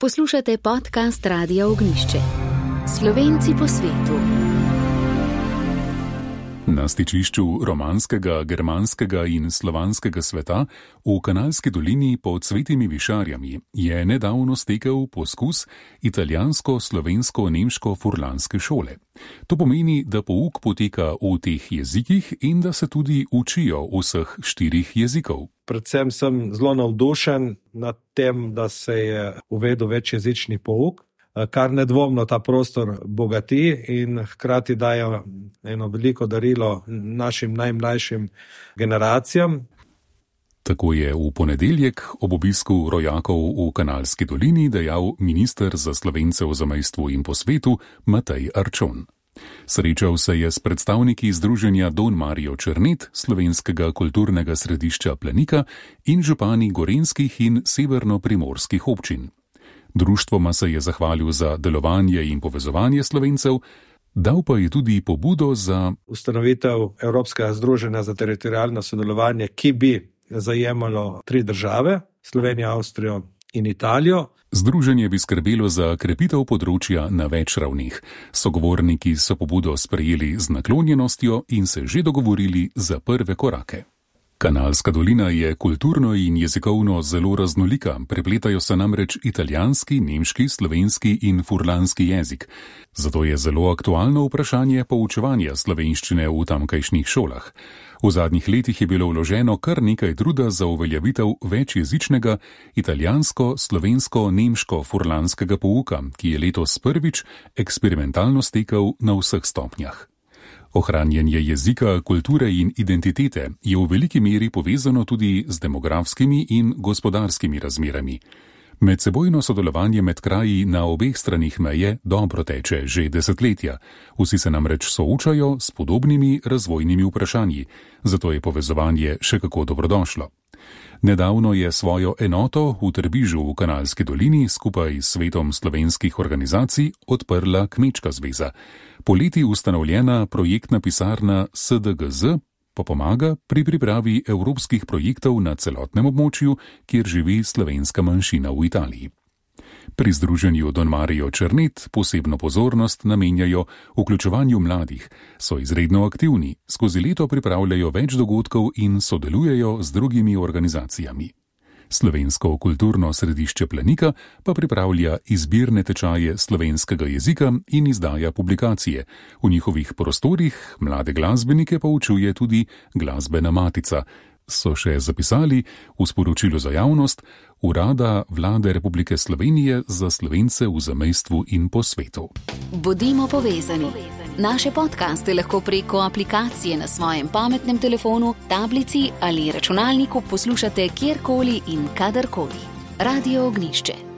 Poslušate podcast Radia Ognjišče. Slovenci po svetu. Na stičišču romanskega, germanskega in slovanskega sveta v Kanalski dolini pod Svetimi Višarjami je nedavno stekel poskus italijansko-slovensko-nemško-furlanske šole. To pomeni, da pouk poteka v teh jezikih in da se tudi učijo vseh 4 jezikov. Predvsem sem zelo navdušen nad tem, da se je uvedel večjezični pouk, kar nedvomno ta prostor bogati in hkrati daje eno veliko darilo našim najmlajšim generacijam. Tako je v ponedeljek ob obisku rojakov v Kanalski dolini dejal minister za Slovence v zamejstvu in po svetu Matej Arčon. Srečal se je s predstavniki združenja Don Mario Černet, slovenskega kulturnega središča Planika in župani gorenjskih in severno-primorskih občin. Društvoma se je zahvalil za delovanje in povezovanje Slovencev, dal pa je tudi pobudo za ustanovitev Evropskega združenja za teritorialno sodelovanje, ki bi zajemalo 3 države, Slovenijo, Avstrijo in Italijo. Združenje bi skrbelo za krepitev področja na več ravneh. Sogovorniki so pobudo sprejeli z naklonjenostjo in se že dogovorili za prve korake. Kanalska dolina je kulturno in jezikovno zelo raznolika, prepletajo se namreč italijanski, nemški, slovenski in furlanski jezik. Zato je zelo aktualno vprašanje poučevanja slovenščine v tamkajšnjih šolah. V zadnjih letih je bilo vloženo kar nekaj truda za uveljavitev večjezičnega italijansko-slovensko-nemško-furlanskega pouka, ki je letos prvič eksperimentalno stekel na vseh stopnjah. Ohranjanje jezika, kulture in identitete je v veliki meri povezano tudi z demografskimi in gospodarskimi razmerami. Medsebojno sodelovanje med kraji na obeh stranih meje dobro teče že desetletja. Vsi se namreč soočajo s podobnimi razvojnimi vprašanji, zato je povezovanje še kako dobrodošlo. Nedavno je svojo enoto v Trbižu v Kanalski dolini skupaj s Svetom slovenskih organizacij odprla Kmečka zveza. Poleti ustanovljena projektna pisarna SDGZ pa pomaga pri pripravi evropskih projektov na celotnem območju, kjer živi slovenska manjšina v Italiji. Pri združenju Don Mario Černet posebno pozornost namenjajo vključevanju mladih, so izredno aktivni, skozi leto pripravljajo več dogodkov in sodelujejo z drugimi organizacijami. Slovensko kulturno središče Planika pa pripravlja izbirne tečaje slovenskega jezika in izdaja publikacije. V njihovih prostorih mlade glasbenike poučuje tudi Glasbena matica, so še zapisali v sporočilu za javnost Urada Vlade Republike Slovenije za Slovence v zamejstvu in po svetu. Bodimo povezani. Naše podcaste lahko preko aplikacije na svojem pametnem telefonu, tablici ali računalniku poslušate kjerkoli in kadarkoli. Radio Ognjišče.